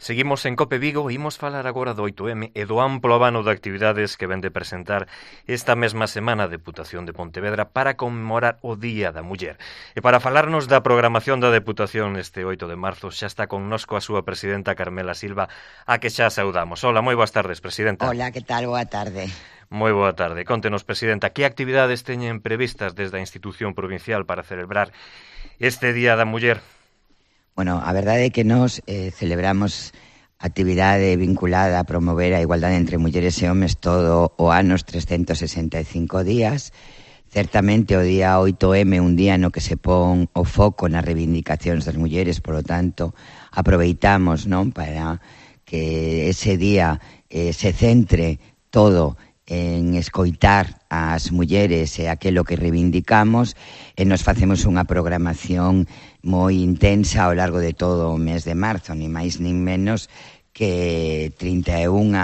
Seguimos en Cope Vigo e imos falar agora do 8M e do amplo abano de actividades que ven de presentar esta mesma semana a Deputación de Pontevedra para conmemorar o Día da Muller. E para falarnos da programación da Deputación este 8 de marzo xa está connosco a súa presidenta Carmela Silva, a que xa saudamos. Hola, moi boas tardes, presidenta. Hola, que tal? Boa tarde. Moi boa tarde. Contenos, presidenta, que actividades teñen previstas desde a institución provincial para celebrar este Día da Muller? Bueno, a verdade é que nós celebramos actividade vinculada a promover a igualdade entre mulleres e homes todo o ano, os 365 días. Certamente o día 8M é un día no que se pon o foco nas reivindicacións das mulleres, por lo tanto, aproveitamos, non, para que ese día se centre todo en escoitar as mulleres e aquilo que reivindicamos, e nos facemos unha programación moi intensa ao largo de todo o mes de marzo, ni máis nin menos que 31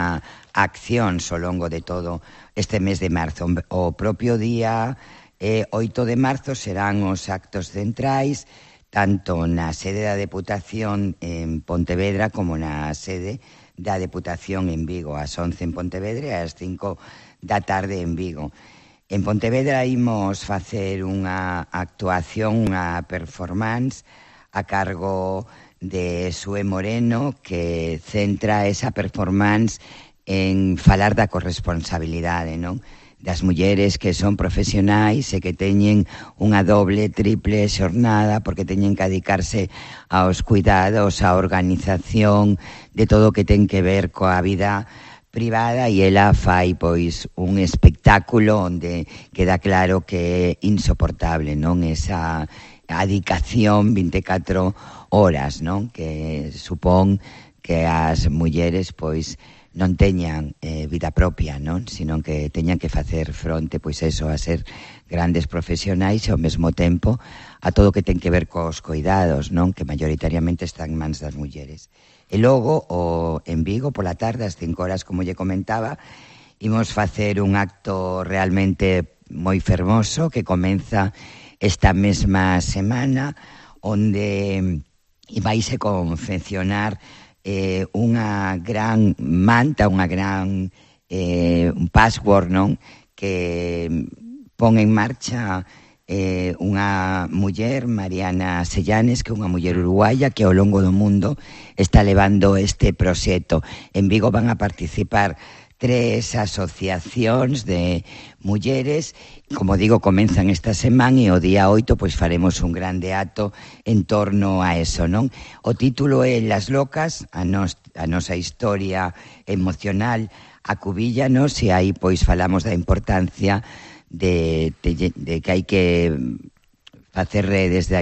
accións ao longo de todo este mes de marzo. O propio día 8 de marzo serán os actos centrais, tanto na sede da Deputación en Pontevedra como na sede da Deputación en Vigo, ás 11 en Pontevedra e ás 5 da tarde en Vigo. En Pontevedra imos facer unha actuación, unha performance a cargo de Sue Moreno, que centra esa performance en falar da corresponsabilidade, non? Das mulleres que son profesionais e que teñen unha doble, triple xornada porque teñen que dedicarse aos cuidados, á organización de todo o que ten que ver coa vida privada, e ela fai pois un espectáculo onde queda claro que é insoportable, non? Esa adicación 24 horas, non? Que supón que as mulleres pois non teñan vida propia, non? Sino que teñan que facer fronte, pois eso, a ser grandes profesionais e ao mesmo tempo a todo o que ten que ver cos cuidados, non? Que maioritariamente están en mans das mulleres. E logo, en Vigo, pola tarde, ás 5 horas, como lle comentaba, imos facer un acto realmente moi fermoso que comeza esta mesma semana, onde vaise confeccionar unha gran manta, unha gran un password, non? Que pon en marcha unha muller, Mariana Sellanes, que é unha muller uruguaya que ao longo do mundo está levando este proxecto. En Vigo van a participar 3 asociacións de mulleres, como digo, comenzan esta semana e o día 8 pois faremos un grande acto en torno a eso, non? O título é Las Locas, a nosa historia emocional acubíllanos, e aí pois falamos da importancia de que hai que facer redes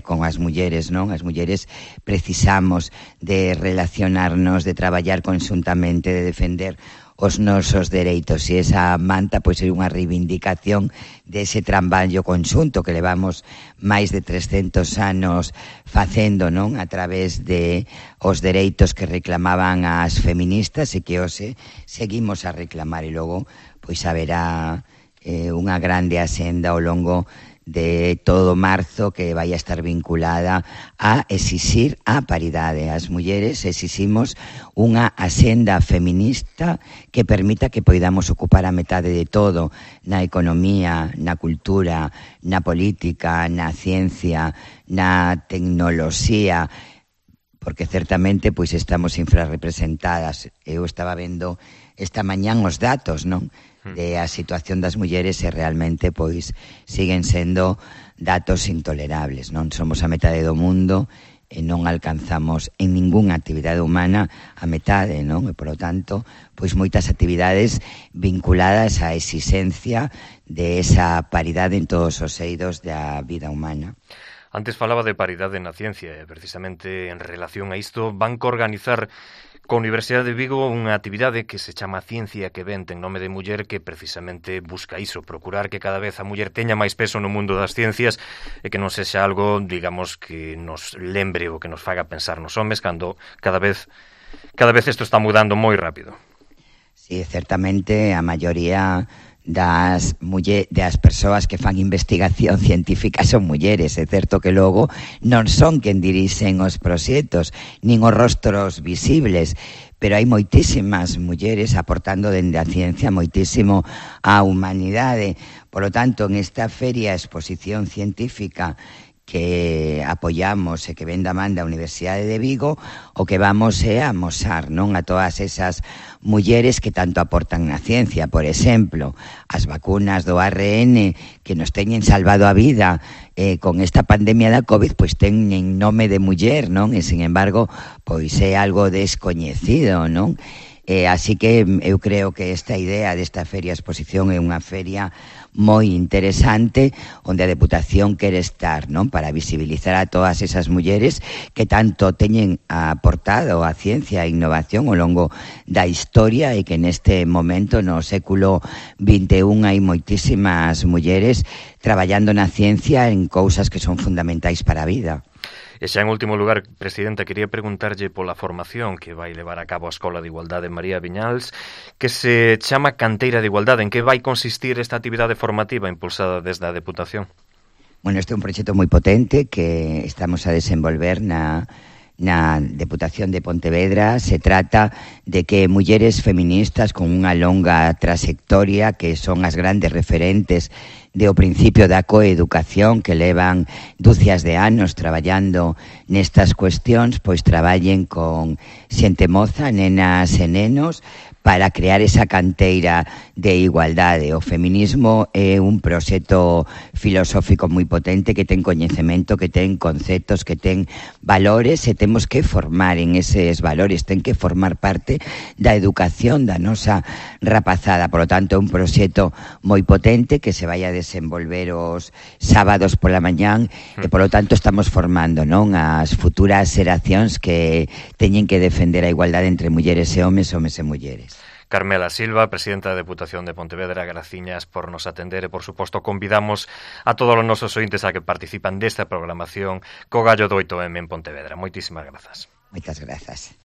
con as mulleres, non? As mulleres precisamos de relacionarnos, de traballar conxuntamente, de defender os nosos dereitos, e esa manta pois é unha reivindicación dese traballo conxunto que levamos máis de 300 anos facendo, non? A través de os dereitos que reclamaban as feministas e que hoxe seguimos a reclamar, e logo pois haberá unha grande axenda ao longo de todo marzo que vai a estar vinculada a exixir a paridade. As mulleres exiximos unha axenda feminista que permita que poidamos ocupar a metade de todo, na economía, na cultura, na política, na ciencia, na tecnoloxía, porque certamente pois estamos infrarrepresentadas. Eu estaba vendo esta mañán os datos, non? De a situación das mulleres, e realmente pois siguen sendo datos intolerables, non? Somos a metade do mundo e non alcanzamos en ningunha actividade humana a metade, non? E, polo tanto, pois moitas actividades vinculadas á exigencia de esa paridade en todos os eidos da vida humana. Antes falaba de paridade na ciencia e precisamente en relación a isto van que organizar coa Universidade de Vigo unha actividade que se chama Ciencia que Vente en nome de muller, que precisamente busca iso, procurar que cada vez a muller teña máis peso no mundo das ciencias e que non sexa algo, digamos, que nos lembre ou que nos faga pensar nos homes, cando cada vez isto está mudando moi rápido. Sí, certamente a maioría das persoas que fan investigación científica son mulleres. É certo que logo non son quen dirixen os proxectos, nin os rostros visibles, pero hai moitísimas mulleres aportando dende a ciencia moitísimo á humanidade. Por lo tanto, en esta feria exposición científica que apoiamos e que ven da man da Universidade de Vigo, o que vamos é a amosar, non, a todas esas mulleres que tanto aportan na ciencia. Por exemplo, as vacunas do ARN que nos teñen salvado a vida con esta pandemia da COVID, pois teñen nome de muller, non? E, sin embargo, pois é algo descoñecido, non? Así que eu creo que esta idea desta feria exposición é unha feria moi interesante onde a Deputación quere estar, non, para visibilizar a todas esas mulleres que tanto teñen aportado a ciencia e innovación ao longo da historia e que neste momento no século XXI hai moitísimas mulleres traballando na ciencia en cousas que son fundamentais para a vida. E xa en último lugar, Presidenta, quería preguntarlle pola formación que vai levar a cabo a Escola de Igualdade María Viñals, que se chama Canteira de Igualdade. En que vai consistir esta actividade formativa impulsada desde a Deputación? Bueno, este é un proxecto moi potente que estamos a desenvolver na Deputación de Pontevedra. Se trata de que mulleres feministas con unha longa trayectoria, que son as grandes referentes do principio da coeducación, que levan dúcias de anos traballando nestas cuestións, pois traballen con xente moza, nenas e nenos, para crear esa canteira de igualdade. O feminismo é un proxecto filosófico moi potente que ten coñecemento, que ten conceptos, que ten valores, e temos que formar en eses valores, ten que formar parte da educación da nosa rapazada. Por lo tanto, é un proxecto moi potente que se vai a desenvolver os sábados pola mañán e, por lo tanto, estamos formando, non, as futuras xeracións que teñen que defender a igualdade entre mulleres e homes e mulleres. Carmela Silva, Presidenta da Deputación de Pontevedra, graciñas por nos atender e, por suposto, convidamos a todos os nosos ointes a que participan desta programación co Gallo do 8M en Pontevedra. Moitísimas grazas. Moitas grazas.